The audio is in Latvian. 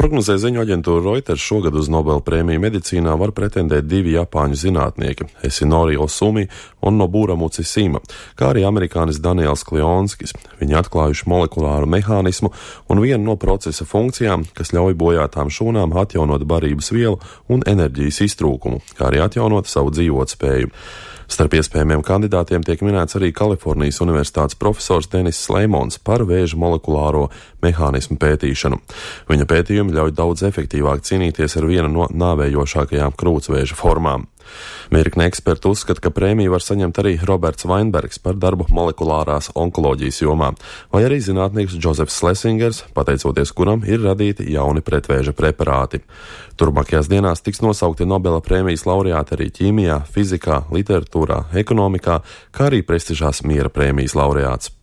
prognozē ziņu aģentūra Reuters, šogad uz Nobela prēmiju medicīnā var pretendēt 2 japāņu zinātnieki - Esinori Osumi un Nobura Mutsisima, kā arī amerikānis Daniels Klionskis. Viņi atklājuši molekulāru mehānismu un vienu no procesa funkcijām, kas ļauj bojātām šūnām atjaunot barības vielu un enerģijas iztrūkumu, kā arī atjaunot savu dzīvotspēju. Starp iespējamiem kandidātiem tiek minēts arī Kalifornijas Universitātes profesors Denis Sleimons par vēža molekulāro mehānismu pētīšanu. Viņa pētījumi ļauj daudz efektīvāk cīnīties ar vienu no nāvējošākajām krūtsvēža formām. Virkne eksperti uzskata, ka prēmiju var saņemt arī Roberts Vainbergs par darbu molekulārās onkoloģijas jomā, vai arī zinātnieks Džozefs Slesingers, pateicoties kuram ir radīti jauni pretvēža preparāti. Turpmākajās dienās tiks nosaukti Nobela prēmijas laureāti arī ķīmijā, fizikā, literatūrā, ekonomikā, kā arī prestižās miera prēmijas laureāts.